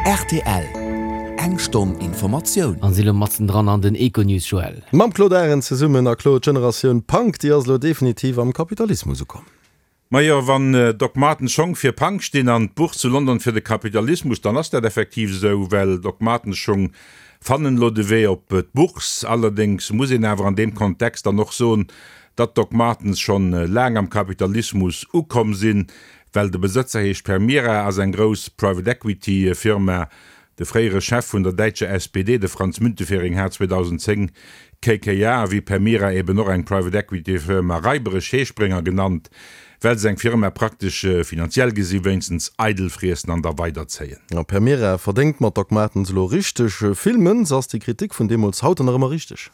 Rtl, Eng Stonn Informatioun. An si lo matzen dran an den Econews, Joël. Mam Claude Arend zesummen. A Claude, d'Generatioun Punk, déi ass elo definitiv am Kapitalismus ukomm. Majo, wann Doc Martens Schong fir Punk stinn an d'Buch zu London fir de Kapitalismus, dann ass dat effektiv esou, well Doc Martens Schong fannen elo de Wee op d'Bourse. Allerdéngs muss een awer an deem Kontext dann och soen, datt Doc Martens schonn laang am Kapitalismus ukomm sinn, well de Besëtzer heescht Permira, ass eng grouss Private Equity Firma. De fréiere Chef vun der däitscher SPD, de Franz Müntefering, hat 2010 KKR, wéi Permira eben och eng Private Equity Firma, raiberesch Heesprénger genannt, well se eng Firma praktesch, finanziell gesi wéinstens, eidel friessen an da weiderzéien. A Permira verdéngt mat Doc Martens elo richteg vill Mënz. Ass déi Kritik vun deemools haut dann nach ëmmer richteg?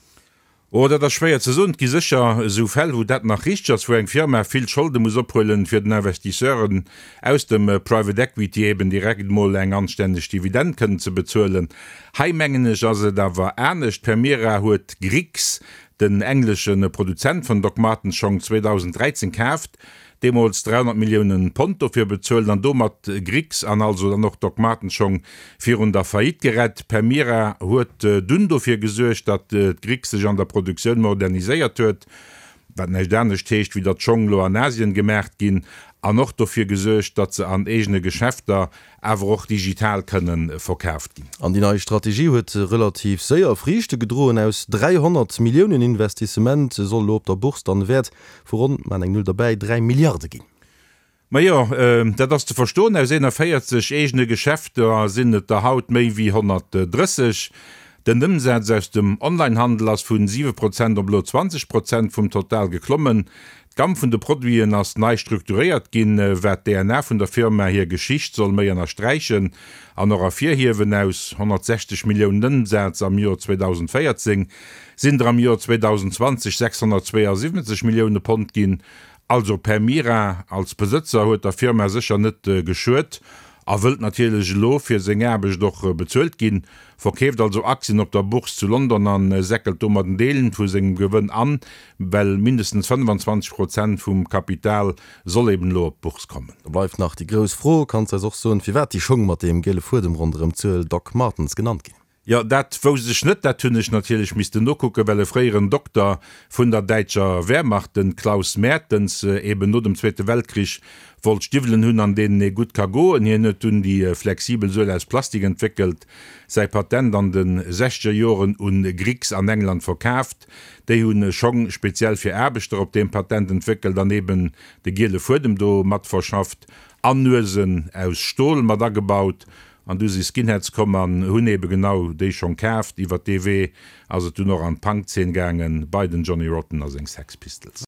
Oh, dat ass schwéier ze soen. Et gi sécher esou Fäll, wou dat nach richteg ass, wou eng Firma vill Scholde muss ophuelen, fir den Investisseuren aus dem Private Equity eben direkt emol eng anstänneg Dividend kënnen ze bezuelen. Hei, mengen ech, ass et awer anescht. Permira huet Griggs, den englesche Produzent vun Doc Martens Schong, 2013 kaaft. deemools 300 Milliounen Pond dofir bezuelt an domat Griggs an also dann och Doc Martens Schong virun der Faillite gerett. Permira huet dunn dofir gesuergt, datt d'Griggs sech an der Produktioun moderniséiert huet, wat näischt anescht heescht, wéi datt d'Schong lo an Asien gemaacht ginn, an och dofir gesuergt, datt se an eegene Geschäfter awer och digital kënne verkaaft ginn. An déi nei Strategie huet relativ séier Friichte gedroen. Aus 300 Milliounen Investissement soll elo op der Bourse dann e Wäert vu ronn, maan eng Null derbäi, 3 Milliarde ginn. Majo, dat ass ze verstoen. Aus 41 eegene Geschäfter sinn et der haut méi wéi 130. Den Ëmsaz aus dem Onlinehandel ass vun 7 Prozent op elo 20 Prozent vum Total geklommen. D'Gamm vun de Produiten ass nei strukturéiert ginn, wat d'DNA vun der Firma, hir Geschicht soll méi ënnersträichen an och ervirhiewen. Aus 160 Milliounen Ëmsaz am Joer 2014 sinn der am Joer 2020 672 Millioune Pond ginn. Also Permira als Besëtzer huet der Firma sécher net geschuet a wëllt natierlech elo fir seng Aarbecht och bezuelt ginn. Verkeeft also Aktien op der Bourse zu London an säckelt domat en Deel vu sengem Gewënn an, well mindestens 25 Prozent vum Kapital soll eben elo op d'Bourse kommen. Da bleift nach déi grouss Fro, Kanns de eis och soen, firwat déi Schong mat deem giele Fuedem ronderëm d'Suel Doc Martens genannt ginn? Jo, dat wousst ech net. Dat hunn ech natierlech missten nokucken, well e fréieren Dokter vun der däitscher Wehrmacht, den Klaus Mertens, eben no dem Zweete Weltkrich wollt Stiwwelen hunn, an deenen ee gutt ka goen. Hien huet dunn déi flexibel Suel aus Plastik entwéckelt, säi Patent an de sechzeger Joren un Griggs an England verkaaft. Déi hu Schong speziell fir Aarbechter op deem Patent entwéckelt an eben de giele Fuedem do mat verschafft an Nuesen aus Stol mat agebaut. An du si Skinheads komm an hunn ebe genau déi Schong kaaft. Iwwer dee Wee ass et dunn och an d'Punk-Zeen gaangen, bei den Johnny Rotten a seng Sex Pistols.